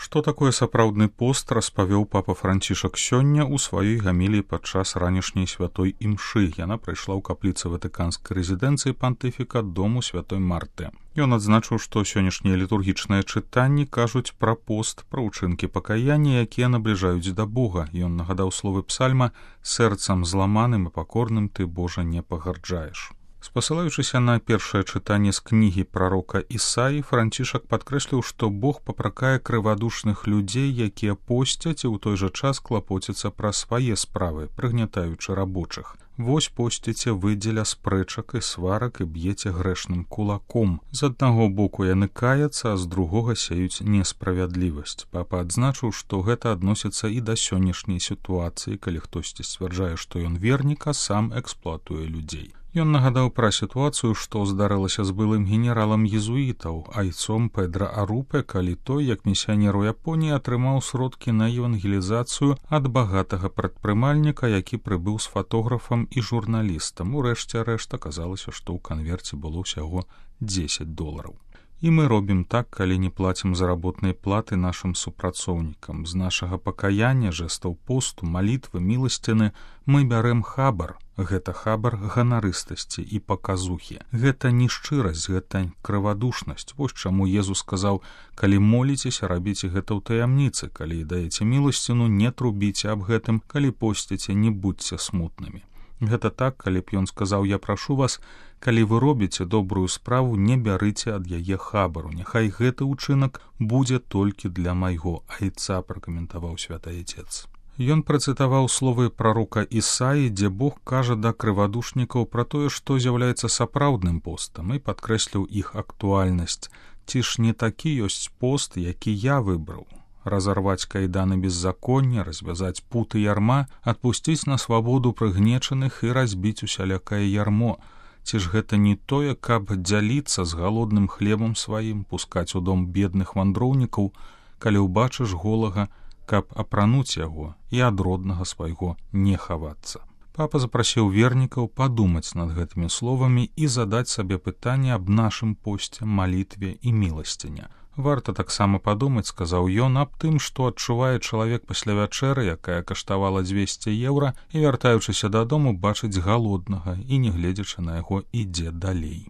Што такое сапраўдны пост, распавёў папа Францішак сёння ў сваёй гаміліі падчас ранішняй святой імшы. Яна прайшла ў капліцы ватыканскай рэзідэнцыі пантыфіка дому святой Марты. Ён адзначыў, што сённяшнія літургічныя чытанні кажуць пра пост, пра ўчынкі пакаяння, якія набліжаюць да Бога. Ён нагадаў словы псальма: «Сэрцам зламаным і пакорным ты, Божа, не пагарджаеш». Спасылаючыся на першае чытанне з кнігі прарока Ісаі, Францішак падкрэсліў, што Бог папракае крывадушных людзей, якія посцяць і ў той жа час клапоцяцца пра свае справы, прыгнятаючы рабочых. Вось посціце вы дзеля спрэчак і сварак і б'еце грэшным кулаком. З аднаго боку яны каяцца, а з другога сеюць несправядлівасць. Папа адзначыў, што гэта адносіцца і да сённяшняй сітуацыі, калі хтосьці сцвярджае, што ён вернік, а сам эксплуатуе людзей. Ён нагадаў пра сітуацыю, што здарылася з былым генералам езуітаў, айцом Педра Арупе, калі той, як місіянер у Японіі, атрымаў сродкі на евангелізацыю ад багатага прадпрымальніка, які прыбыў з фатографам і журналістам. Урэшце рэшт аказалася, што ў канверце было ўсяго $10. І мы робім так, калі не плацім заработнай платы нашым супрацоўнікам. З нашага пакаяння, жэстаў посту, малітвы, міласціны мы бярэм хабар. Гэта хабар ганарыстасці і паказухі. Гэта не шчырасць, гэта крывадушнасць. Вось чаму Езус сказаў: калі моліцеся, рабіце гэта ў таямніцы, калі даеце міласціну, не трубіце аб гэтым, калі посціце, не будзьце смутнымі. Гэта так, калі б ён сказаў: я прашу вас, калі вы робіце добрую справу, не бярыце ад яе хабару. Няхай гэты ўчынак будзе толькі для майго айца, пракаментаваў святы айцец. Ён працытаваў словы прарока Ісаі, дзе Бог кажа да крывадушнікаў пра тое, што з'яўляецца сапраўдным постам, і падкрэсліў іх актуальнасць. Ці ж не такі ёсць пост, які я выбраў? Разарваць кайданы беззаконня, развязаць путы ярма, адпусціць на свабоду прыгнечаных і разбіць усялякае ярмо. Ці ж гэта не тое, каб дзяліцца з галодным хлебам сваім, пускаць у дом бедных вандроўнікаў, калі ўбачыш голага, каб апрануць яго і ад роднага свайго не хавацца. Папа запрасіў вернікаў падумаць над гэтымі словамі і задаць сабе пытанне аб нашым посце, малітве і міласціне. Варта таксама падумаць, сказаў ён, аб тым, што адчувае чалавек пасля вячэры, якая каштавала €200, і, вяртаючыся дадому, бачыць галоднага і, не гледзячы на яго, ідзе далей.